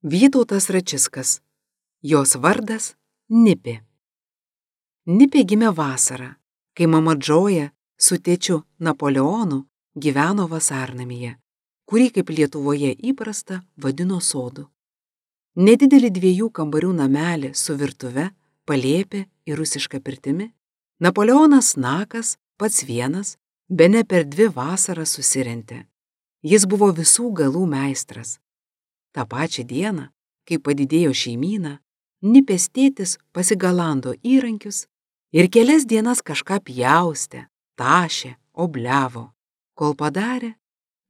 Vytautas Račiskas. Jos vardas Nipė. Nipė gimė vasarą, kai mama Džoja su tėčiu Napoleonu gyveno vasarnamyje, kurį kaip Lietuvoje įprasta vadino sodu. Nedidelį 2 kambarių namelį su virtuve, palėpė ir rusiška pirtimi, Napoleonas Nakas pats vienas, bene per 2 vasaras susirentė. Jis buvo visų galų meistras. Ta pačią dieną, kai padidėjo šeimyna, Nipės tėtis pasigalando įrankius ir kelias dienas kažką pjaustė, tašė, obliavo, kol padarė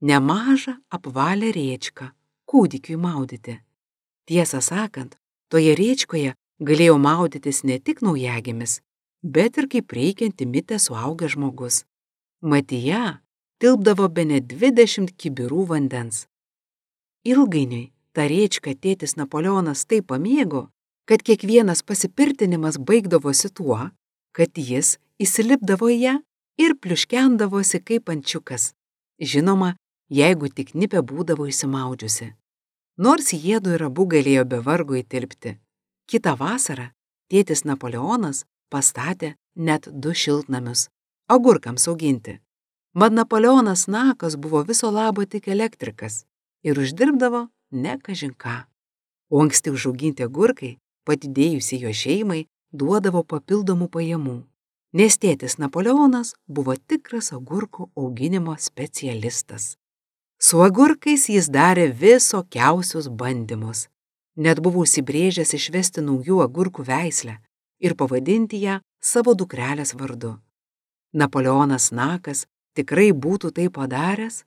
nemažą apvalią rėčką kūdikiui maudyti. Tiesą sakant, toje rėčkoje galėjo maudytis ne tik naujagimis, bet ir kaip reikianti mitė suaugęs žmogus. Mat į ją tilpdavo bene 20 kibirų vandens. Ilgainiui tą rėčką tėtis Napoleonas taip pamėgo, kad kiekvienas pasipirtinimas baigdavosi tuo, kad jis įsilipdavo į ją ir pliuškendavosi kaip ančiukas. Žinoma, jeigu tik Nipė būdavo išsimaudžiusi. Nors jiedu ir abu galėjo be vargo įtilpti. Kitą vasarą tėtis Napoleonas pastatė net 2 šiltnamius agurkams auginti. Mat Napoleonas Nakas buvo viso labo tik elektrikas ir uždirbdavo ne kažin ką. O anksti užauginti agurkai, padidėjusi jo šeimai, duodavo papildomų pajamų, nes tėtis Napoleonas buvo tikras agurkų auginimo specialistas. Su agurkais jis darė visokiausius bandymus. Net buvo užsibrėžęs išvesti naujų agurkų veislę ir pavadinti ją savo dukrelės vardu. Napoleonas Nakas tikrai būtų tai padaręs,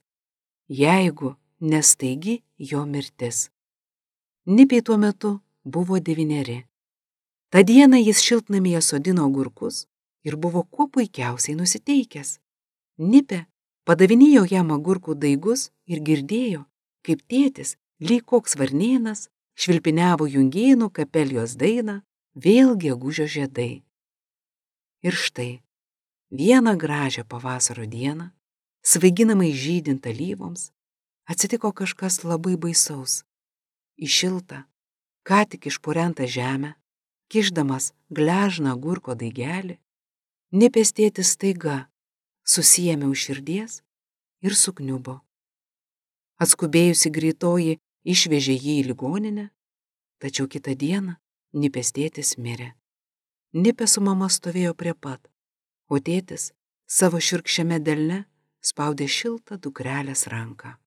jeigu ne staigi jo mirtis. Nipei tuo metu buvo 9. Ta dieną jis šiltnamyje sodino agurkus ir buvo kuo puikiausiai nusiteikęs. Nipė padavinėjo jam agurkų daigus ir girdėjo, kaip tėtis, lyg koks varnėnas, švilpiniavo Jungėnų kapelijos dainą Vėl gegužio žiedai. Ir štai, vieną gražią pavasario dieną, svaiginamai žydint alyvoms, atsitiko kažkas labai baisaus. Į šiltą, ką tik išpurentą žemę, kišdamas gležną agurko daigelį, Nipės tėtis staiga susiėmė už širdies ir sukniubo. Atskubėjusi greitoji išvežė jį į ligoninę, tačiau kitą dieną Nipės tėtis mirė. Nipė su mama stovėjo prie pat, o tėtis savo šiurkščiame delne spaudė šiltą dukrelės ranką.